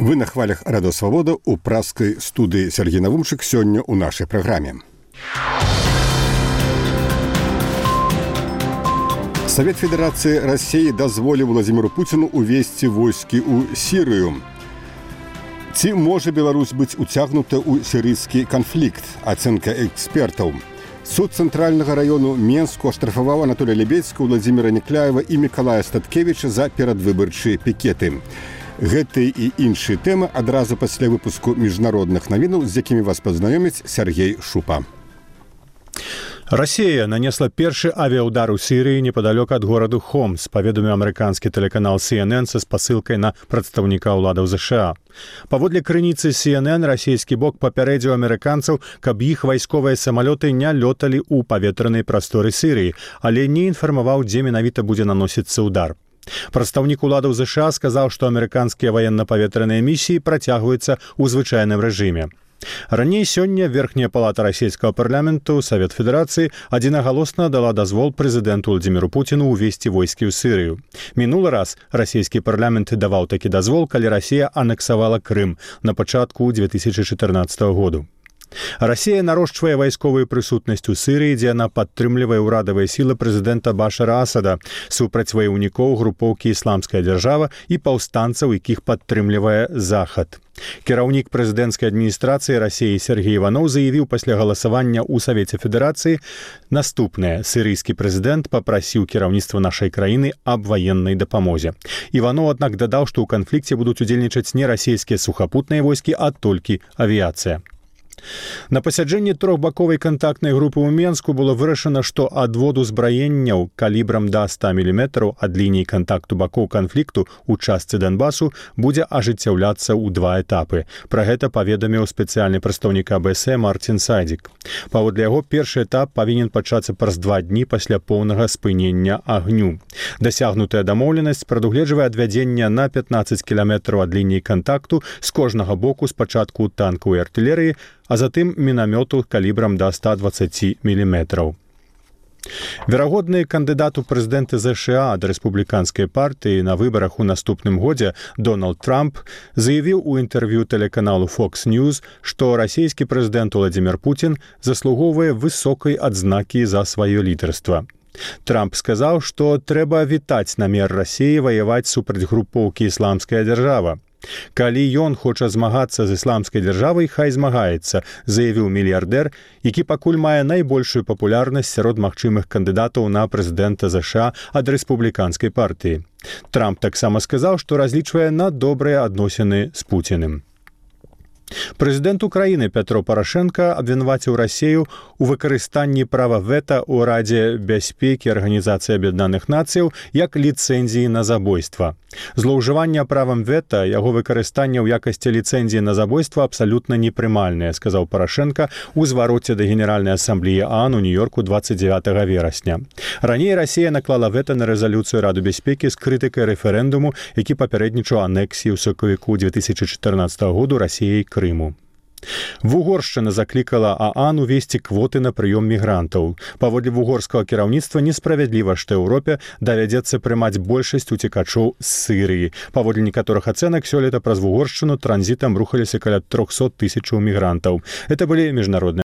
Вы на хвалях Радио Свобода у пражской студии Сергей Навумчик сегодня у нашей программе. Совет Федерации России дозволил Владимиру Путину увести войски ў Сирию. Ці можа Беларусь быть утягнута ў сирийский конфликт? Оценка экспертов. Суд Центрального району Менску оштрафовал Анатолия Лебедьского, Владимира Некляева и Миколая Статкевича за перадвыбарчыя пикеты. Гэты і іншыя тэмы адразу пасля выпуску міжнародных навінаў, з якімі вас пазнаёміць Сергей Шупа. Россия нанесла першы авіаудар у Сирии неподалеку от города Хомс, паведаміў амерыканскі тэлеканал CNN са спасылкай на прадстаўніка ўладаў США. Паводле крыніцы CNN, расійскі бок папярэдзіў амерыканцаў, каб іх вайсковыя самалёты не лёталі ў паветранай прасторы Сирии, але не інфармаваў, дзе менавіта будзе наносіцца ўдар. Прадстаўнік уладаў США сказаў, што амерыканскія ваенна-паветраныя місіі працягваюцца ў звычайным рэжыме. Раней сёння Верхняя палата расійскага парламенту, Совет Федерацыі, адзінагалосна дала дазвол прэзідэнту Владимиру Путину увесці войскі ў Сырыю. Мінулы раз расійскі парламент даваў такі дазвол, калі Расія анексавала Крым на пачатку 2014 году. Расія нарошчвае вайсковую прысутнасць у Сырыі, дзе яна падтрымлівае ўрадавыя сілы прэзідэнта Башара Асада, супраць ваяўнікоў групоўкі «Ісламская дзяржава» і паўстанцаў, якіх падтрымлівае Захад. Кіраўнік прэзідэнцкай адміністрацыі Расіі Сергей Иванов заявіў пасля галасавання ў Савеце Федэрацыі наступнае. Сірыйскі прэзідэнт папрасіў кіраўніцтва нашай краіны аб ваеннай дапамозе. Иванов, аднак, дадаў, што ў канфлікце будуць удзельнічаць не расійскія сухапутныя войскі, а толькі авіяцыя. На пасяджэнні трохбаковай кантактнай групы ў Менску было вырашана, што адвод узбраенняў калібрам да 100 мм ад лініі кантакту бакоў канфлікту ў частцы Донбасу будзе ажыццяўляцца ў 2 этапы. Пра гэта паведаміў спецыяльны прадстаўнік АБС Мартин Сайдзік. Паводле яго, першы этап павінен пачацца праз 2 дні пасля поўнага спынення агню. Дасягнутая дамоўленасць прадугледжвае адвядзенне на 15 кіламетраў ад лініі кантакту з кожнага боку спачатку танкаў і артылерыі, а затым мінамёту калібрам да 120 мм. Верагодны кандыдат у прэзідэнты США ад рэспубліканскай партыі на выбарах у наступным годзе Дональд Трамп заявіў у інтэрв'ю тэлеканалу Fox News, што расійскі прэзідэнт Владимир Путин заслугоўвае высокай адзнакі за сваё лідарства. Трамп сказаў, што трэба вітаць намер Расіі ваяваць супраць групоўкі «Ісламская дзяржава». Калі ён хоча змагацца з ісламскай дзяржавай, хай змагаецца, заявіў мільярдэр, які пакуль мае найбольшую папулярнасць сярод магчымых кандыдатаў на прэзідэнта США ад рэспубліканскай партыі. Трамп таксама сказаў, што разлічвае на добрыя адносіны з Пуціным. Прэзідэнт Украіны Пятро Парашенка абвінаваціў Расію у выкарыстанні права вета ў Радзе бяспекі Арганізацыі Аб'яднаных Нацыяў як ліцэнзіі на забойства. Злоўжыванне правам вета, яго выкарыстанне ў якасці ліцэнзіі на забойства абсалютна непрымальнае, сказаў Парашенка ў звароце да Генеральнай асамблеі ААН у Нью-Йорку 29 верасня. Раней Расія наклала вета на рэзалюцыю Рады бяспекі з крытыкай рэферэндуму, які папярэднічаў анексіі ў сакавіку 2014 году Расіяй Крыму. Вугоршчына заклікала ААН увесці квоты на прыём мігрантаў. Паводле вугорскага кіраўніцтва несправядліва, што Еўропе давядзецца прымаць большасць уцекачоў з Сырыі. Паводле некаторых ацэнак, сёлета праз Вугоршчыну транзітам рухаліся каля 300 000 мігрантаў. Это былі міжнародныя